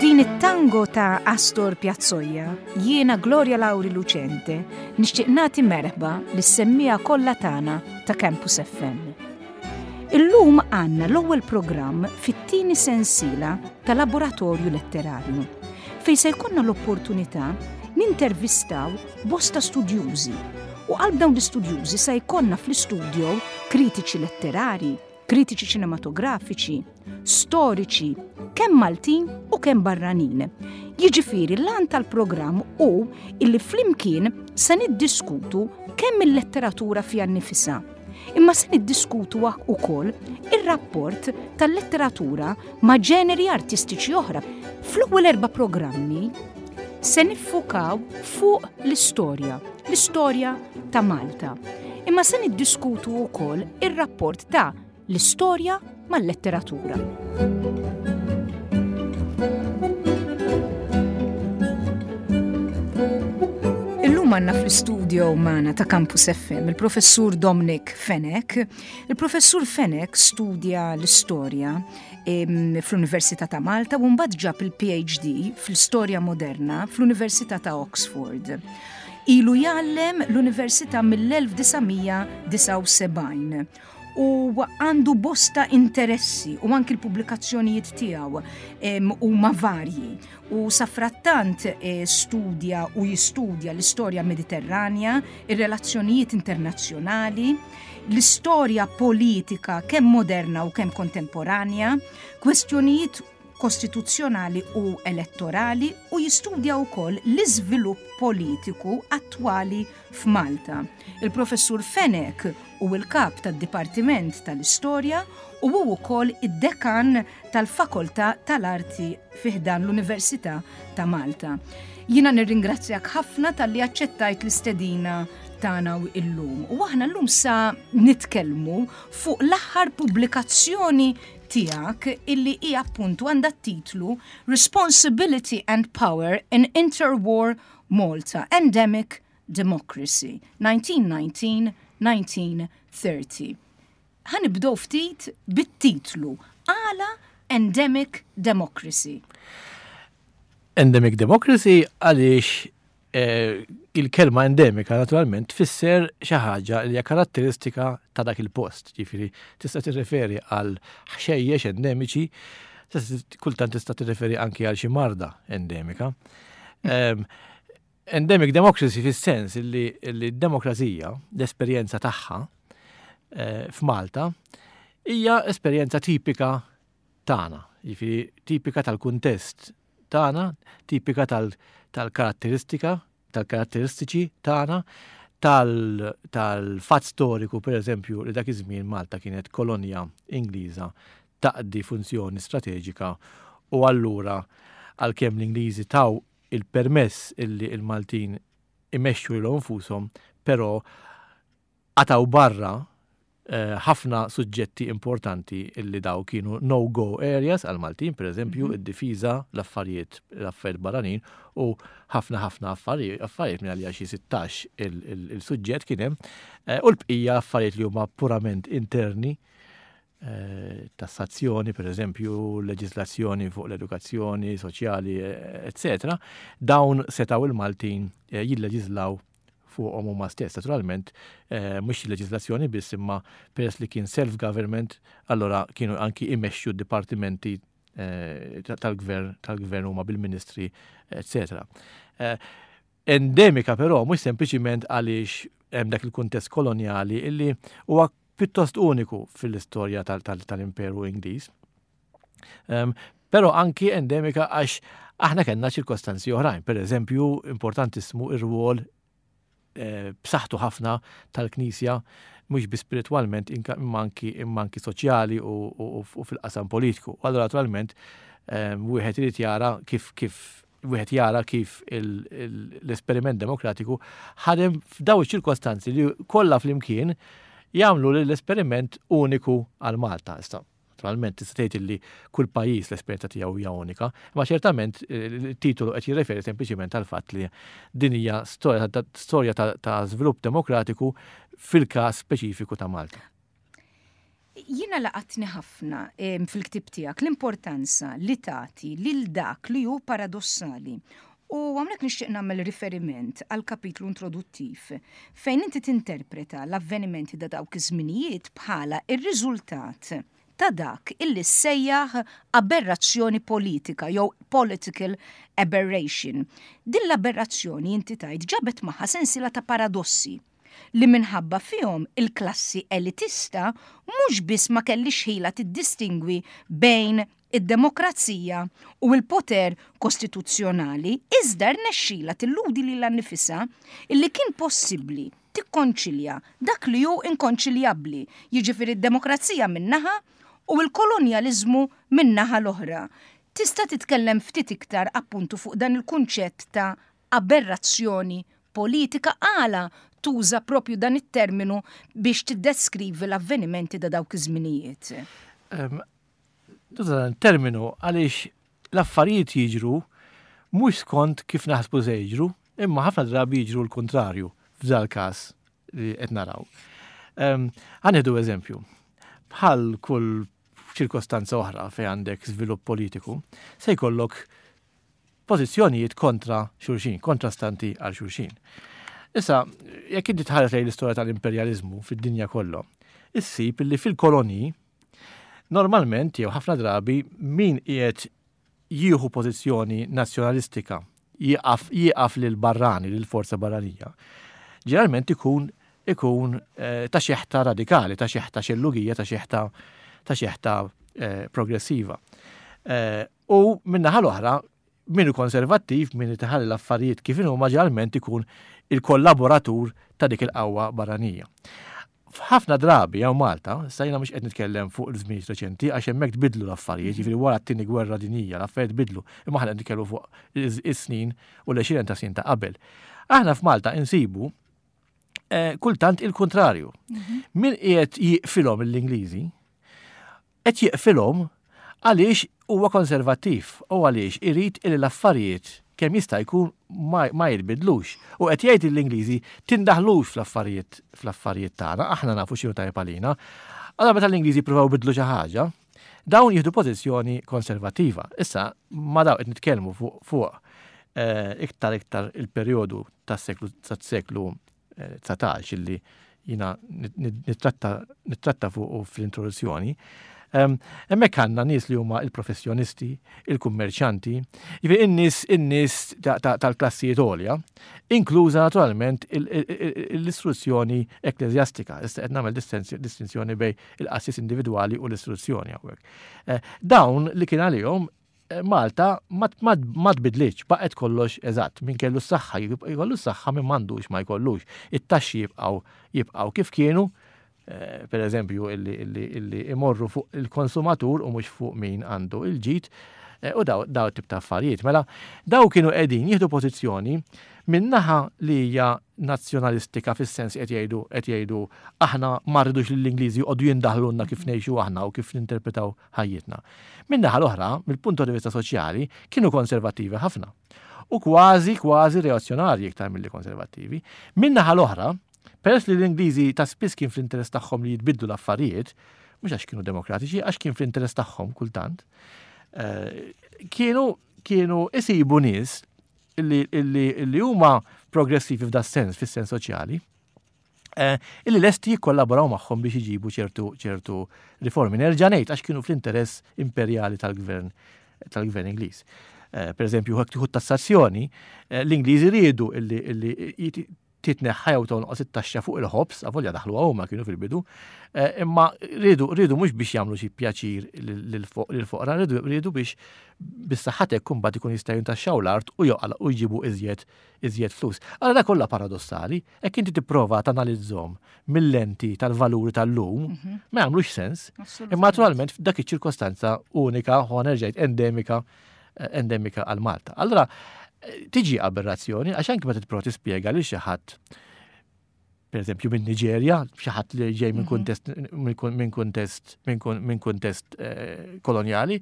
B'din it-tango ta' Astor Piazzolla, jiena Gloria Lauri Lucente nixtieq nagħti merħba lis-semmiegħa kollha tagħna ta' Campus FM. Illum għandna l-ewwel programm fit-tieni sensiela ta' Laboratorju Letterarju, fejn se jkollna l-opportunità nintervistaw bosta studjużi u qalb dawn l-istudjużi se jkollna fl-istudio kritiċi letterari, kritiċi ċinematografiċi, storiċi, kemm Maltin u kemm barranin. Jiġifieri l-għan tal-programm hu illi flimkien se niddiskutu kemm il-letteratura fiha nnifisha, imma se niddiskutu wkoll ir-rapport tal-letteratura ma' ġeneri artistiċi oħra. Fl-ewwel erba' programmi se niffukaw fuq l-istorja, l-istorja ta' Malta. Imma se niddiskutu wkoll ir-rapport ta' l-istorja mal-letteratura. Illum għandna fl-istudio magħna ta' Campus FM il-professur Dominic Fenech. Il-professur Fenech studja l-istorja fl-Università ta' Malta u mbagħad ġab il-PhD fl-istorja moderna fl-Università ta' Oxford. Ilu jgħallem l-Università mill-1979 u għandu bosta interessi u anki l-pubblikazzjonijiet tiegħu huma varji u safrattant eh, studja u jistudja l-istorja Mediterranja, ir-relazzjonijiet internazzjonali, l-istorja politika kemm moderna u kemm kontemporanja, kwestjonijiet kostituzzjonali u elettorali u jistudja wkoll l-iżvilupp politiku attwali f'Malta. Il-Professur Fenech hu l-Kap tad-Dipartiment tal-Istorja u hu wkoll id-Dekan tal-Fakoltà tal-Arti fi ħdan l-Università ta' Malta. Jiena nirringrazzjak ħafna talli aċċettajt l-istedina tagħna illum. U aħna llum sa nitkellmu fuq l-aħħar pubblikazzjoni tiegħek illi hi appuntu għandha t-titlu Responsibility and Power in Interwar Malta, Endemic Democracy, 1919-1930. Ħa nibdew ftit bit-titlu, għala Endemic Democracy? Endemic Democracy għaliex eh, il-kelma endemika naturalment tfisser xi ħaġa li hija karatteristika ta' dak il-post, ġifieri tista' tirreferi għal ħxejjex endemiċi, kultant tista' tirreferi anki għal xi marda endemika. Ehm, endemic democracy fis-sens li d-demokrazija, l-esperjenza tagħha eh, f'Malta, hija esperjenza tipika tagħna, jiġifieri tipika tal-kuntest tagħna, tipika tal-karatteristika, tal-karatteristiċi tagħna, tal-fatt storiku, per eżempju, li dak iż-żmien Malta kienet kolonja Ingliża taqdi funzjoni strateġika u allura għalkemm l-Ingliżi taw il-permess illi l-Maltin imexxu lilhom infushom, però qatgħu barra eh, ħafna suġġetti importanti illi daw kienu no-go areas għal-Maltin, per eżempju, mhm. id-difiża, l-affarijiet, l-affarijiet barranin u ħafna ħafna affarijiet minn għalija xi 16 il-suġġett kien hemm eh, u l-bqija affarijiet li huma purament interni eh, tassazzjoni, per eżempju, leġislazzjoni fuq l-edukazzjoni soċjali, eccetera, dawn setaw il-Maltin jilleġislaw fuqhom huma stess. Naturalment, eh, mhux il-leġislazzjoni biss imma peress li kien self-government, allora kienu anki imexxu d-dipartimenti eh, tal-gvern tal-gvern huma bil-ministri, eccetera. Eh, endemika però mhux sempliċiment għaliex hemm dak il-kuntest kolonjali illi huwa pjuttost uniku fil-istorja tal-Imperu Ingliż. Però anki endemika għax aħna kellna ċirkostanzi oħrajn. Per eżempju, importantissimu ir-rwol b'saħħtu ħafna tal-Knisja mhux biss spiritwalment imma anki imma anki soċjali u fil-qasam politiku. U allura naturalment wieħed irid jara kif kif wieħed jara kif l-esperiment demokratiku ħadem f'daw iċ-ċirkostanzi li kollha flimkien jagħmlu l-esperiment uniku għal Malta. Issa, naturalment tista' tgħid li kull pajjiż l-esperjenza tiegħu hija unika, imma ċertament il-titolu qed jirreferi sempliċiment għal fatt li din hija storja ta' żvilupp demokratiku fil-każ speċifiku ta' Malta. Jiena laqatni ħafna fil-ktieb tiegħek l-importanza li tagħti lil dak li hu paradossali. U hawnhekk nixtieq nagħmel riferiment għal kapitlu introduttiv fejn inti tinterpreta l-avvenimenti ta' dawk iż-żminijiet bħala r-riżultat ta' dak illi ssejjaħ aberrazzjoni politika jew political aberration. Din l-aberrazzjoni inti tgħid ġabet magħha sensiela ta' paradossi li minħabba fihom il-klassi elitista mhux biss ma kellhiex ħila tiddistingwi bejn id-demokrazija u l-poter kostituzzjonali, iżda rnexxilha tilludi lilha nnifisha illi kien possibbli tikkonċilja dak li hu inkonċiljabbli, jiġifieri d-demokrazija minn naħa u l-kolonjaliżmu min-naħa l-oħra. Tista' titkellem ftit iktar appuntu fuq dan il-kunċett ta' aberrazzjoni politika għala tuża propju dan it-terminu biex tiddeskrivi l-avvenimenti ta' dawk iż-żminijiet? Tuża dan it-terminu għaliex l-affarijiet jiġru mhux skont kif naħsbu se jiġru, imma ħafna drabi jiġru l-kuntrarju f'dal-każ li qed naraw. Ħa nieħdu eżempju. Bħal kull ċirkostanza oħra fejn għandek żvilupp politiku, se jkollok pożizzjonijiet kontra xulxin, kontrastanti għal xulxin. Issa, jekk inti tħares lejn l-istorja tal-imperjaliżmu fid-dinja kollha, issib li fil-kolonji normalment jew ħafna drabi min qiegħed jieħu pożizzjoni nazzjonalistika jieqaf jieqaf lil barrani, lil forza barranija. Ġeneralment ikun ikun eh, ta' xeħta radikali, ta' xeħta xellugija, ta' xeħta ta' xeħta eh, progressiva. Eh, U min-naħa l-oħra, min hu konservattiv, min irid iħalli l-affarijiet kif inhuma ġeneralment ikun il-kollaboratur ta' dik il-qawwa barranija. F'ħafna drabi hawn Malta, issa jiena mhux qed nitkellem fuq il-żminijiet reċenti għax hemmhekk tbiddlu l-affarijiet, jiġifieri wara t-tieni gwerra dinjija l-affarijiet tbiddlu, imma aħna qed nitkellmu fuq is-snin u l-għexieren ta' snin ta' qabel. Aħna f'Malta insibu eh, kultant il-kuntrarju. Mhm. Min qiegħed jiqfilhom l-Ingliżi, Qed jieqfilhom għaliex huwa konservattiv u għaliex irid illi l-affarijiet kemm jista' jkun ma, ma jitbidlux. U qed jgħid lill-Ingliżi tindaħlux fl-affarijiet fl-affarijiet tagħna, aħna nafu x'inhu tajjeb għalina. Allura meta l-Ingliżi jippruvaw jbiddlu xi ħaġa, dawn jieħdu pożizzjoni konservattiva. Issa ma daw qed nitkellmu fuq fuq eh, iktar iktar il-perjodu tas-seklu tas-seklu 19 illi jina nittratta fuq fl-introduzzjoni. Hemmhekk għandna nies li huma il-professjonisti, il-kummerċanti, jiġifieri in-nies in-nies tal-klassijiet għolja, inkluża naturalment l-istruzzjoni ekkleżjastika. Issa qed nagħmel distinzjoni bejn il-qassis individwali u l-istruzzjoni hawnhekk. Eh, dawn li kien għalihom Malta ma tbidlitx, baqgħet kollox eżatt. Min kellu s-saħħa jkollu s-saħħa, min m'għandux ma jkollux. It-taxxi jibqgħu jibqgħu kif kienu, eh, per eżempju illi imorru fuq il-konsumatur u mhux fuq min għandu il-ġid eh, u daw, daw tip ta' affarijiet. Mela, daw kienu qegħdin jieħdu pożizzjoni minn naħa li hija nazzjonalistika fis-sens qed jgħidu qed jgħidu aħna ma rridux lill-Ingliżi joqogħdu jindaħlulna kif ngħixu aħna u kif ninterpretaw ħajjitna. Min-naħa l-oħra, mill-punto di vista soċjali, kienu konservattivi ħafna. U kważi, kważi reazzjonarji iktar milli konservattivi. Min-naħa l-oħra, peress li l-Ingliżi ta' spiss kien fl-interess tagħhom li jitbidlu l-affarijiet, mhux għax kienu demokratiċi, għax kien fl-interess tagħhom kultant, eh, kienu kienu isibu nies li, li, li huma progressivi f'da sens, fis-sens soċjali, Eh, illi lesti jikkollaboraw magħhom biex iġibu ċertu ċertu riformi. Nerġa' ngħid għax kienu fl-interess imperjali tal-gvern tal-gvern Ingliż. Eh, per eżempju, jekk tieħu tassazzjoni, eh, l-Ingliżi riedu illi titneħħa jew tonqos it-taxxa fuq il-ħobż, avolja daħluha huma kienu fil-bidu, eh, imma riedu riedu mhux biex jagħmlu xi pjaċir lill-foqra, riedu riedu biex bis-saħħa t'hekk imbagħad ikun jista' jintaxxaw l-art u joqgħu u jġibu iżjed iżjed flus. Allura dak kollha paradossali, hekk inti tipprova tanalizzhom mill-lenti tal-valuri tal-lum, ma jagħmlux sens. Imma naturalment f'dak iċ-ċirkostanza unika, ħa nerġa' endemika, eh, endemika għal Malta. Allura eh, tiġi aberrazzjoni għax anke meta tipprova tispjega lil xi ħadd per eżempju minn Niġerja, xi ħadd li ġej minn kuntest minn kuntest minn kuntest eh, kolonjali,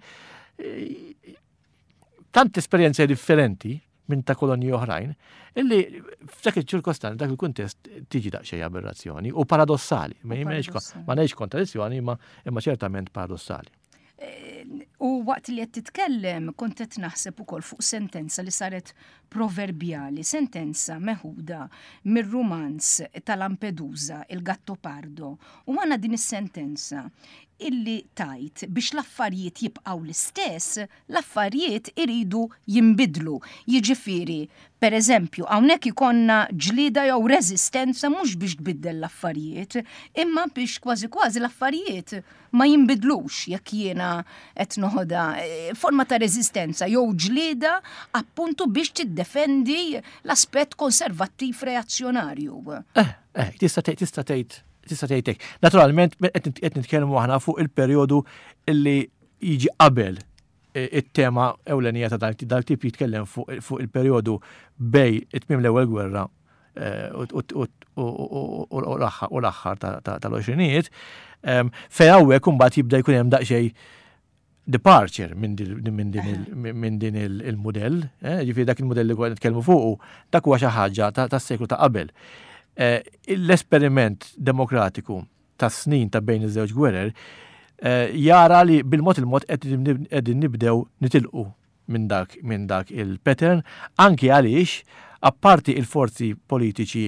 tant esperjenza differenti minn ta' kolonji oħrajn, illi f'dak il-ċirkostanza, dak il-kuntest tiġi daqsxejn aberrazzjoni u paradossali. Ma ngħidx kontradizzjoni, imma ċertament paradossali. Eh, u waqt li qed titkellem kont qed naħseb ukoll fuq sentenza li saret proverbjali, sentenza meħuda mir-rumanz ta' Lampedusa, il-Gattopardo. U għandna din is-sentenza illi tajt biex l-affarijiet jibqgħu l-istess, l-affarijiet iridu jinbidlu. Jiġifieri, per eżempju, hawnhekk ikollna ġlieda jew reżistenza mhux biex tbiddel l-affarijiet, imma biex kważi kważi l-affarijiet ma jinbidlux jekk jiena qed noħodha eh, forma ta' reżistenza jew ġlieda appuntu biex tiddefendi l-aspett konservattiv reazzjonarju. Eh, eh, tista' tista' tgħid tista' tgħid hekk. Naturalment qed nitkellmu aħna fuq il-perjodu illi jiġi qabel eh, it-tema ewlenija ta' dal-tip jitkellem fuq il-perjodu bej it-tmiem l-ewwel gwerra eh, u l-aħħar tal-għoxrinijiet, ehm, fejn hawnhekk imbagħad jibda jkun hemm daqsxejn departure minn din il-modell, eh, ġifieri dak il-modell li konna nitkellmu fuqu, dak huwa xi ħaġa tas-seklu ta' qabel. L-esperiment demokratiku tas-snin ta' bejn iż-żewġ gwerer eh, jara li bil-mod il-mod qegħdin nibdew nitilqu minn dak minn dak il-pattern anki għaliex apparti il-forzi politiċi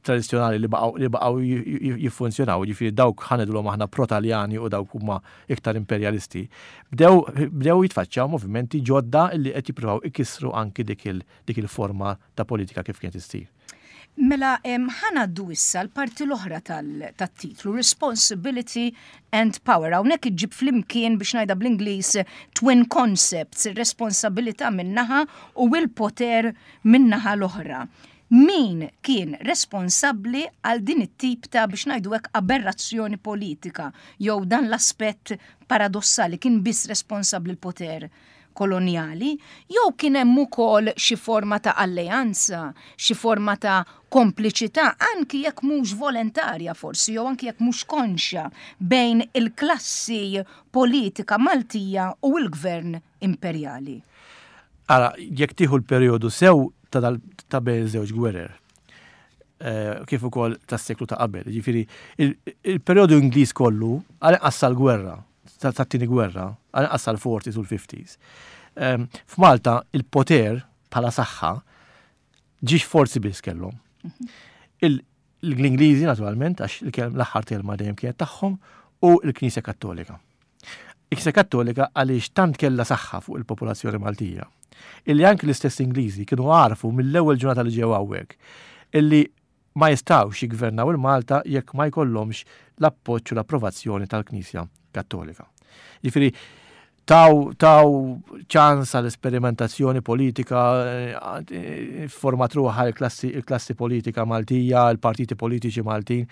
tradizzjonali li baqgħu li baqgħu jiffunzjonaw, jiġifieri dawk ħa ngħidulhom aħna pro-Taljani u dawk huma iktar imperjalisti, bdew bdew jitfaċċaw movimenti ġodda li qed jippruvaw ikissru anki dik il dik il-forma ta' politika kif kienet issir. Mela, ħa ngħaddu issa l-parti l-oħra tat-titlu, Responsibility and Power. Hawnhekk iġġib flimkien biex ngħidha bl-Ingliż twin concepts, ir-responsabilità minn naħa u l-poter min-naħa l-oħra. Min kien responsabbli għal din it-tip ta' biex ngħidu hekk aberrazzjoni politika jew dan l-aspett paradossali kien biss responsabbli l-poter kolonjali, jew kien hemm ukoll xi forma ta' alleanza, xi forma ta' kompliċità, anki jekk mhux volentarja forsi, jew anki jekk mhux konxja, bejn il-klassi politika Maltija u l-gvern imperjali? Ara, jekk tieħu l-perjodu sew ta' ta' bejn iż-żewġ gwerer, eh, kif ukoll tas-seklu ta' qabel, jiġifieri il-perjodu Ingliż kollu għal inqas sal-gwerra, tat-tieni gwerra, għal sal-40s u l-50s. Ehm, f'Malta il-poter bħala saħħa ġiex forzi biss kellhom. Mhm. L-Ingliżi naturalment, għax l-aħħar telma dejjem kienet tagħhom, u l-Knisja Kattolika. Il-Knisja Kattolika għaliex tant kellha saħħa fuq il-popolazzjoni Maltija, illi anki l-istess Ingliżi kienu għarfu mill-ewwel ġurnata li ġew hawnhekk illi ma jistgħux jiggvernaw il-Malta jekk ma jkollhomx l-appoġġ u l-approvazzjoni tal-Knisja Kattolika. Jiġifieri taw taw ċans għal esperimentazzjoni politika, eh, format ruħha il-klassi il-klassi politika Maltija, il-partiti politiċi Maltin.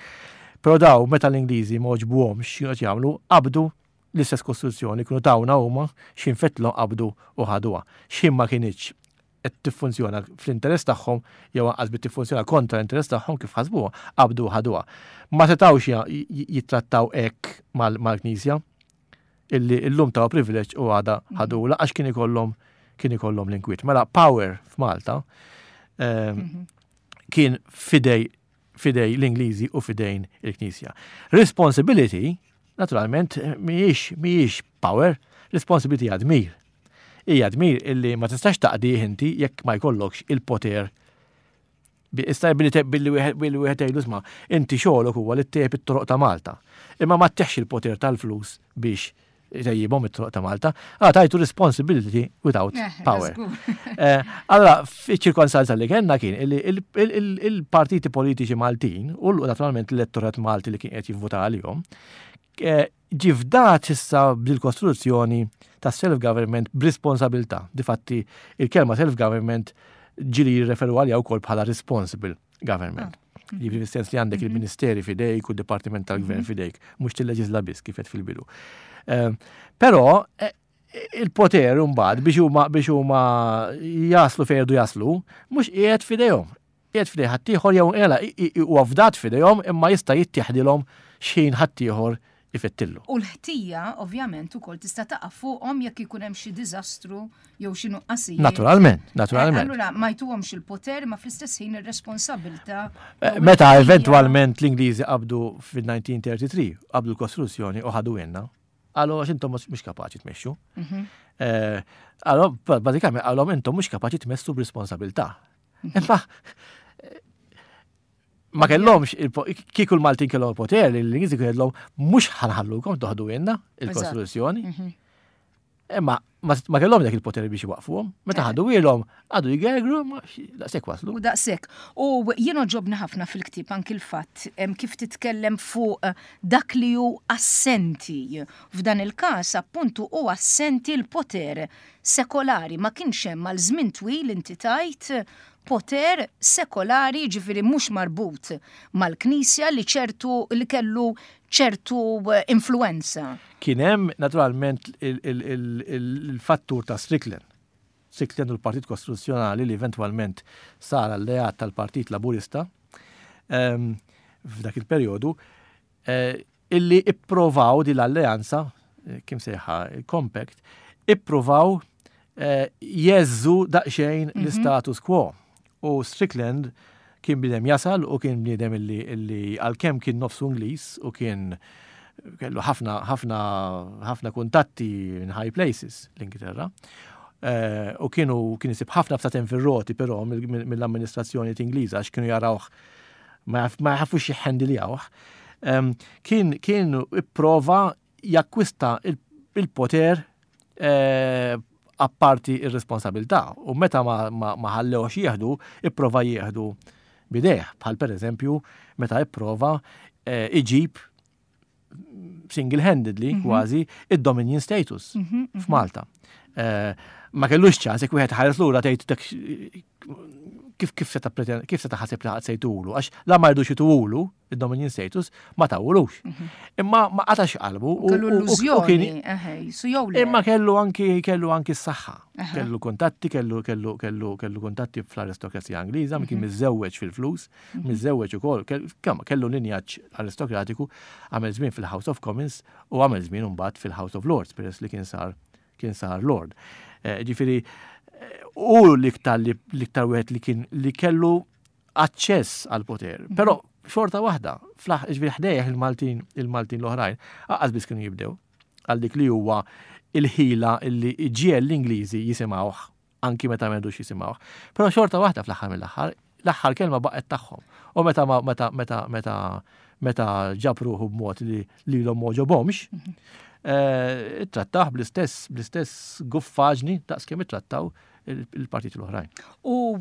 Però daw meta l-Ingliżi ma għoġbuhomx x'kienu qed jagħmlu, qabdu l-istess kostituzzjoni kienu tawna huma x'infetlhom qabdu u ħaduha. X'ħin ma kinitx qed tiffunzjona fl-interess tagħhom jew anqas bdiet tiffunzjona kontra l-interess tagħhom kif ħasbuha, qabdu u ħaduha. Ma setgħux jittrattaw hekk mal-Knisja illi llum taw privileġġ u għada mhm. ħadula għax kien ikollhom kien ikollhom l-inkwiet. Mela power f'Malta ehm, mhm. kien fidej fidej l-Ingliżi u fidejn il-Knisja. Responsibility, naturalment, mhijiex mhijiex power, responsibility hija dmir. Hija dmir illi ma tistax taqdih inti jekk ma jkollokx il-poter Issa billi billi wieħed jgħidu isma' inti xogħolok huwa li ttejjeb it-toroq ta' Malta. Imma ma tteħx il-poter tal-flus biex Jtejjibhom it-toroq ta' Malta. Ah, tajtu responsibility without eh, power. Eh, allora, fiċ-ċirkonstanza li kellna kien li il-partiti politiċi Maltin u naturalment l-elettorat Malti li kien qed jivvota għalihom, eh, ġie fdat issa bil-kostruzzjoni ta' self-government b'responsabilità. Difatti, il-kelma self-government ġili jirreferu għalija wkoll bħala responsible government. Ah. Jiġifieri fis-sens li għandek mhm. il-ministeri fidejk u d-dipartiment tal-gvern mhm. fidejk, mhux tilleġisla biss kif qed fil-bidu. Ehm, però eh, il-poter mbagħad biex huma biex huma jaslu fejn jridu jaslu, mhux qiegħed fidejhom. Qiegħed fidej ħaddieħor jew ela huwa fdat fidejhom imma jista' jittieħdilhom x'ħin ħaddieħor ifettillu. U l-ħtija, ovvjament, ukoll tista' taqa' fuqhom jekk ikun hemm xi diżastru jew xi nuqqasijiet. Naturalment, naturalment. Eh, allura ma jtuhomx il-poter ma fl-istess ħin ir-responsabilità. Eh, meta eventwalment l-Ingliżi qabdu fil-1933, qabdu l-kostruzzjoni u ħadu jenna, għalu għax intom mhux kapaċi tmexxu. Mhm. Eh, għalu, bażikament għalhom intom mhux kapaċi tmessu b'responsabilità. Mhm. Imma ma kellhomx kieku l-Maltin kellhom il-poter li l-Ingliżi kienu mhux ħanħallukom toħdu jenna il-Kostituzzjoni. Mhm. Imma ma kellhom dak il-poter biex iwaqfuhom. Meta ħadu ilhom għadu jgergru ma daqshekk waslu. U daqshekk. U jien oġobni ħafna fil-ktieb anki l-fatt kif titkellem fuq eh, dak li hu assenti. F'dan il-każ appuntu hu assenti l-poter sekolari ma kienx hemm għal żmien twil inti tajt poter sekolari, jiġifieri mhux marbut mal-Knisja li ċertu li kellu ċertu influwenza. Kien hemm naturalment il-fattur ta' Strickland. Strickland u l-Partit Kostituzzjonali li eventwalment sar alleat tal-Partit Laburista ehm, f'dak il-perjodu, eh, illi ipprovaw din l-alleanza, eh, kim sejħa il-Compact, ippruvaw eh, jeżżu daqsxejn mhm. l-status quo. U Strickland kien bniedem jasal u kien bniedem illi, illi għalkemm kien nofsu Ingliż u kien kellu ħafna ħafna ħafna kuntatti in high places l-Ingilterra. Eh, u kienu kien isib ħafna ftaten fir-roti però mill-amministrazzjoni Ingliża għax kienu jarawh ma jafux jihhendiljawh, kien kien ipprova jakkwista il-poter eh, apparti ir-responsabilità u meta ma ħallewx jieħdu, ipprova jieħdu bidejh, bħal pereżempju meta ipprova eh, iġib single-handedly mhm. kważi id-dominion status mhm, mhm. f'Malta. Eh, ma kellux ċans jekk wieħed ħares lura tgħid dak kif kif seta' kif seta' ħaseb li ħadd se jtulu għax la ma jridux jtulu id-dominion status ma tawulux. Imma ma qatax qalbu u kellu illużjoni, Imma kellu anki kellu anki s-saħħa. Kellu kuntatti, kellu kellu kellu kellu kuntatti fl-aristokrazija Ingliża, kien miżżewweġ fil-flus. Miżżewweġ ukoll, kellu linjaġġ aristokratiku, għamel żmien fil-House of Commons u għamel żmien imbagħad fil-House of Lords peress li kien sar kien sar Lord. Eh, ġifieri eh, u l-iktar l-iktar wieħed li kien li kellu aċċess għal poter. Mhm. Però xorta waħda, ġifieri ħdejh il-Maltin il-Maltin l-oħrajn, aqqas biss kienu jibdew għal dik li huwa il-ħila li ġiel l-Ingliżi jisimgħuh anki meta ma jridux jisimgħuh. Però xorta waħda fl-aħħar mill-aħħar, l-aħħar kelma baqgħet tagħhom. U meta meta meta meta meta ġab ruħu b'mod li lilhom m'għoġobhomx, mhm. eh, ittrattah bl-istess bl-istess guffaġni daqs kemm ittrattaw il-partiti l-oħrajn. U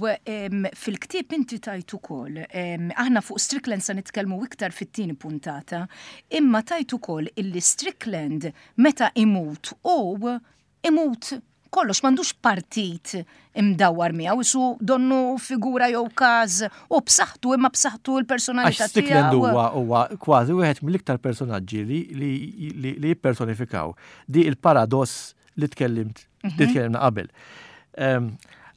fil-ktieb inti tajt ukoll, aħna fuq Strickland sa nitkellmu iktar fit-tieni puntata, imma tajt ukoll illi Strickland meta imut u imut kollox m'għandux partit imdawwar miegħu, isu donnu figura jew każ u b'saħħtu imma b'saħħtu l-personalità tiegħu. Strickland huwa huwa kważi wieħed mill-iktar personaġġi li li li jippersonifikaw di il-paradoss li tkellimt li mhm. tkellimna qabel. Ehm,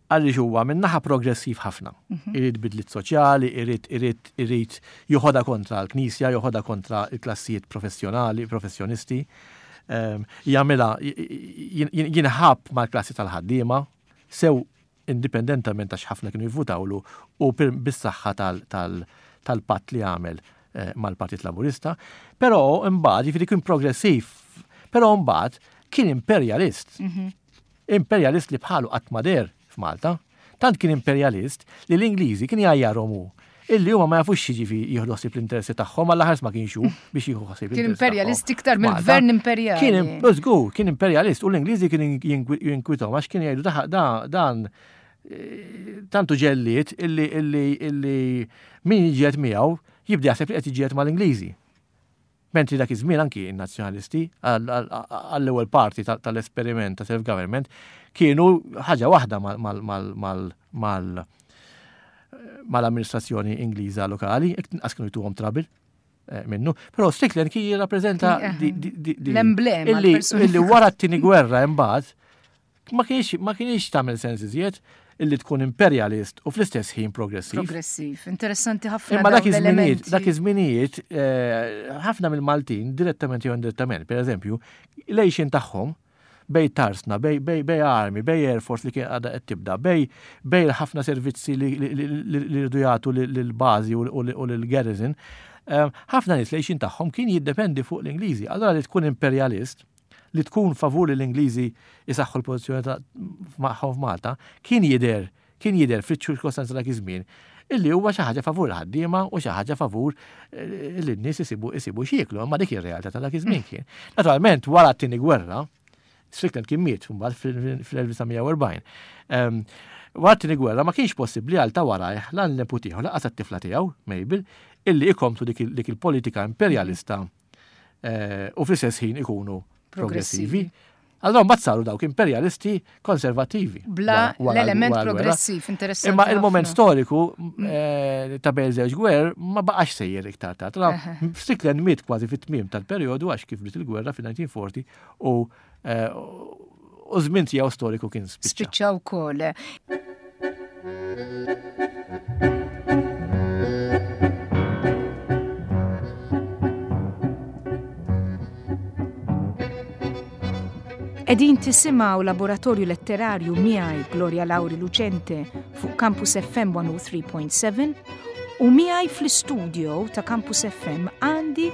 għaliex huwa minn naħa progressiv ħafna. Mhm. Irid bidliet soċjali, irid irid irid joħodha kontra l-Knisja, joħodha kontra l-klassijiet professjonali, professjonisti. Ehm, jagħmilha jinħab mal-klassi tal-ħaddiema, sew indipendentament għax ħafna kienu jivvutawlu u bis-saħħa tal-patt li għamel eh, mal-Partit Laburista, però imbagħad jiġifieri kien progressiv, però mbagħad kien imperjalist. Mhm. Imperjalist li bħalu qatt ma deher f'Malta. Tant kien imperjalist li l-Ingliżi kien jgħajjarhom hu. Illi huma ma jafux x'jiġifieri jieħdu ħsieb l-interessi tagħhom għal ħares ma kienx hu biex jieħu ħsieb. Kien imperjalist iktar mill-gvern imperjali. Kien żgur, kien imperjalist u l-Ingliżi kien jinkwitahom għax kien jgħidu dan eh, tantu ġelliet illi illi illi min jiġiet miegħu jibda jaħseb li qed jiġiet mal-Ingliżi. Mentri dak iż-żmien anki n-Nazzjonalisti għall-ewwel parti tal-esperiment ta' self-government kienu ħaġa waħda mal-amministrazzjoni Ingliża lokali, inqas kienu jtuhom trouble eh, minnu. Però Strickland kien jirrappreżenta l-emblema illi wara t-tieni gwerra imbagħad Ma kienx ma kienx tagħmel sens iżjed illi tkun imperjalist u fl-istess ħin progressiv. Progressiv, interessanti ħafna. Imma dak iż-żminijiet, dak iż-żminijiet eh, ħafna mill-Maltin direttament jew indirettament, pereżempju, l-għixin tagħhom bej tarsna, bej, bej, bej armi, bej Air Force li kien għadha qed tibda, bej bej ħafna servizzi li rridu jagħtu lill-bażi u lill-garrison, eh, ħafna nies l-għixin tagħhom kien jiddependi fuq l-Ingliżi. Allora li tkun imperjalist li tkun favur li l-Ingliżi jsaħħu l-pożizzjoni magħhom f'Malta, kien jidher kien jidher fiċ-ċirkostanzi dak iż-żmien illi huwa xi ħaġa favur il-ħaddiema u xi ħaġa favur eh, li n-nies isibu isibu x'jieklu, imma dik ir-realtà ta' dak iż-żmien kien. Naturalment wara t-tieni gwerra, Strickland kien miet mbagħad fl-1940. Ehm, wara t-tieni gwerra ma kienx possibbli għal ta' warajh lan l-neputiħu laqas t-tifla tiegħu, Mabel, illi ikomplu dik il-politika imperjalista eh, u fl-istess ħin ikunu progressivi. Allora mbagħad saru dawk imperjalisti konservattivi. Bla l-element progressiv, interessanti. Imma il-moment storiku mm. eh, ta' bejn żewġ gwer ma baqax sejjer iktar ta' Tra Strickland miet kważi fit-tmiem tal-perjodu għax kif bdiet il-gwerra fil-1940 u eh, u żmien tiegħu storiku kien spiċċa. Spiċċa wkoll. Edin tisimaw laboratorju letterarju miegħi Gloria Lauri Lucente fuq Campus FM 103.7 u miegħi fl-istudio ta' Campus FM għandi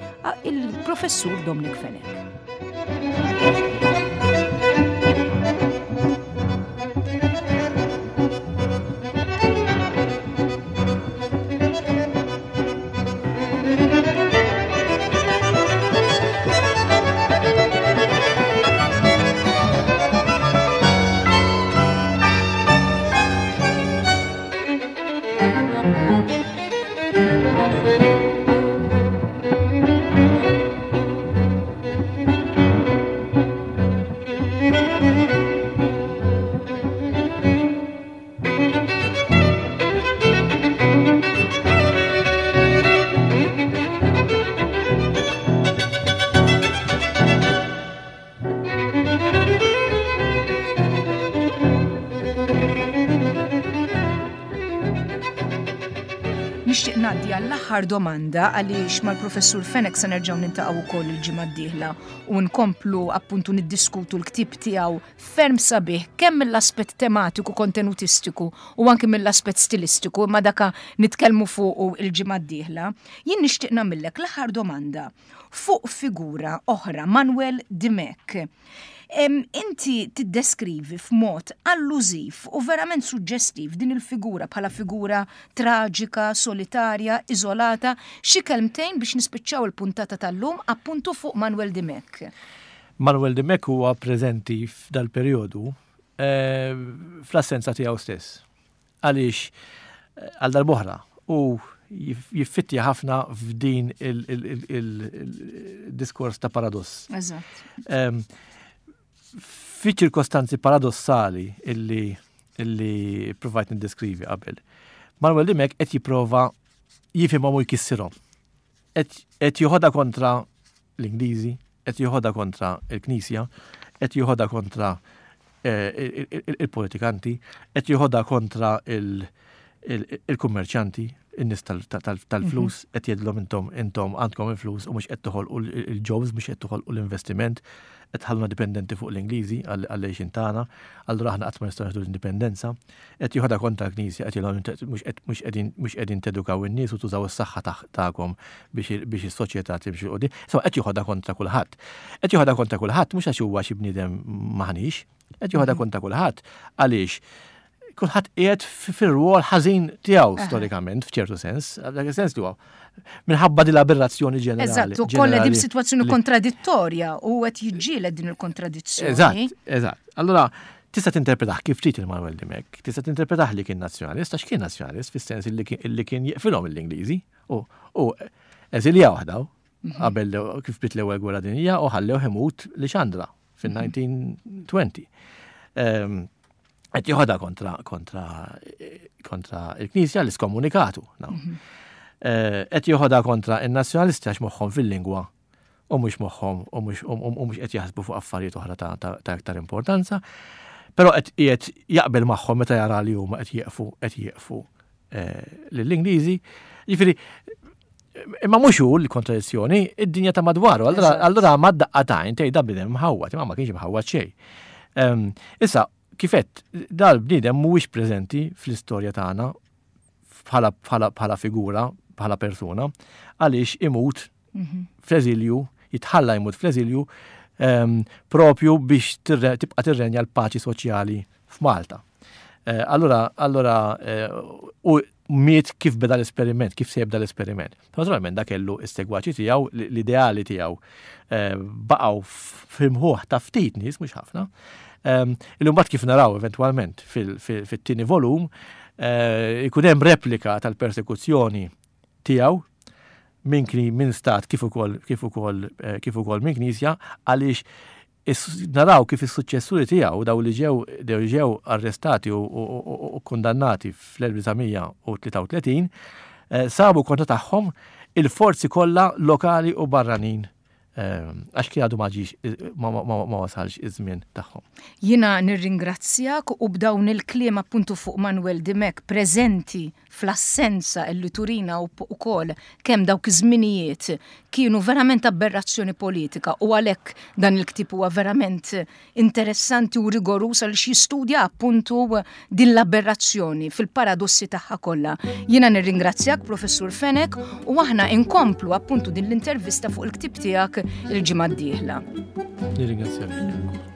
il-professur Dominic Fenech. Nixtieq ngħaddi għall-aħħar domanda għaliex mal-Professur Fenech se nerġgħu nintaqgħu wkoll il-ġimgħa d-dieħla u nkomplu appuntu niddiskutu l-ktieb tiegħu ferm sabiħ kemm mill-aspett tematiku kontenutistiku u anki mill-aspett stilistiku imma daka nitkellmu fuqu il-ġimgħa d-dieħla. Jien nixtieq nagħmillek l-aħħar domanda fuq figura oħra, Manuel Dimech. Inti tiddeskrivi f'mod allużiv u verament suġġestiv din il-figura bħala figura traġika, solitarja, iżolata. Xi kelmtejn biex nispiċċaw il-puntata tal-lum appuntu fuq Manuel Dimech. Manuel Dimech huwa preżenti f'dal-perjodu eh, fl-assenza tiegħu stess. Għaliex għal darb'oħra hu jiffittja ħafna f'din il-diskors ta' paradoss. Eżatt. Fi ċirkostanzi paradossali illi illi provajt niddeskrivi qabel. Manuel Dimek qed jipprova jifhimhom u jkissirhom. Qed joħodha kontra l-Ingliżi, qed joħodha kontra l-Knisja, qed joħodha kontra eh, il-politikanti, qed joħodha kontra il-kummerċanti, in-nies tal-flus, mhm. qed jgħidilhom intom intom għandkom il-flus u mhux qed toħolqu il-jobs, mhux qed toħolqu l-investiment, qed ħalluna dipendenti fuq l-Ingliżi għall-għejxin tagħna, allura aħna qatt ma nistgħu nieħdu l-indipendenza. Qed joħodha kontra l-Knisja, qed jgħidilhom mhux qegħdin mhux qegħdin tedukaw in-nies u tużaw is-saħħa tagħkom biex biex is-soċjetà timxi 'l quddiem. Insomma qed joħodha kontra kulħadd. Qed joħodha kontra kulħadd mhux għax huwa xi bniedem maħniex, qed joħodha mhm. kontra kulħadd għaliex Kulħadd qiegħed fir-rwol ħażin tiegħu storikament f'ċertu sens, dak is-sens li huwa minħabba din l-aberrazzjoni ġenerali. Eżatt, u kollha din sitwazzjoni kontradittorja u qed jiġġieled din il-kontradizzjoni. Eżatt, eżatt. Allura tista' tinterpretah kif trid il-Manuel Dimech, tista' tinterpretah li kien nazzjonalist, għax kien nazzjonalist fis-sens li kien jeqfilhom l-Ingliżi u eżiljaw daw qabel kif bdiet l-ewwel gwerra dinjija u ħallew imut li xandra fin-1920. Ehm, qed joħodha kontra kontra kontra il-Knisja li skomunikatu. Mhm. Eh, qed joħodha kontra in-nazzjonalisti għax moħħhom fil-lingwa u mhux moħħhom u mhux qed jaħsbu fuq affarijiet oħra ta' iktar importanza. Però qed qiegħed jaqbel magħhom meta jara li huma qed jieqfu qed jieqfu eh, lill-Ingliżi. Jiġifieri Imma mhux hu l-kontradizzjoni, id-dinja ta' madwaru. Allura ma daqqa tajn tgħid da bniedem mħawwad, imma ma kienx mħawwad xejn. Ehm, issa, kifet, dal-bniedem mhuwiex preżenti fl-istorja tagħna bħala figura, bħala persuna, għaliex imut mhm. fl-eżilju, jitħalla jmut fl-eżilju ehm, propju biex tibqa' tirrenja l-paċi soċjali f'Malta. Eh, allura, allura, eh, u miet kif beda l-esperiment, kif se jibda l-esperiment. Naturalment da kellu s-segwaċi tiegħu, l-ideali tiegħu eh, baqgħu f'imħuħ ta' ftit nies, mhux ħafna. Ehm, illum mbagħad kif naraw eventwalment fit-tieni volum, ikun hemm replika tal-persekuzzjoni tiegħu minn minn stat kif ukoll kif ukoll kif ukoll minn knisja għaliex Naraw kif is-suċċessuri tiegħu, dawn li ġew li ġew arrestati u kkundannati fl-1933, sabu kontra tagħhom il-forzi kollha lokali u barranin għax kien għadu ma ġiex ma wasalx iż-żmien tagħhom. Jiena nirringrazzjak u b'dawn il-kliem appuntu fuq Manuel Dimech preżenti fl-assenza illi turina wkoll kemm dawk iż-żminijiet kienu verament aberrazzjoni politika u għalhekk dan il-ktieb huwa verament interessanti u rigoruż għaliex jistudja appuntu din l-aberrazzjoni fil-paradossi tagħha kollha. Jiena nirringrazzjak Professur Fenech u aħna inkomplu appuntu din l-intervista fuq il-ktieb tiegħek il-ġimgħa d-dieħla. Nirringrazzjak.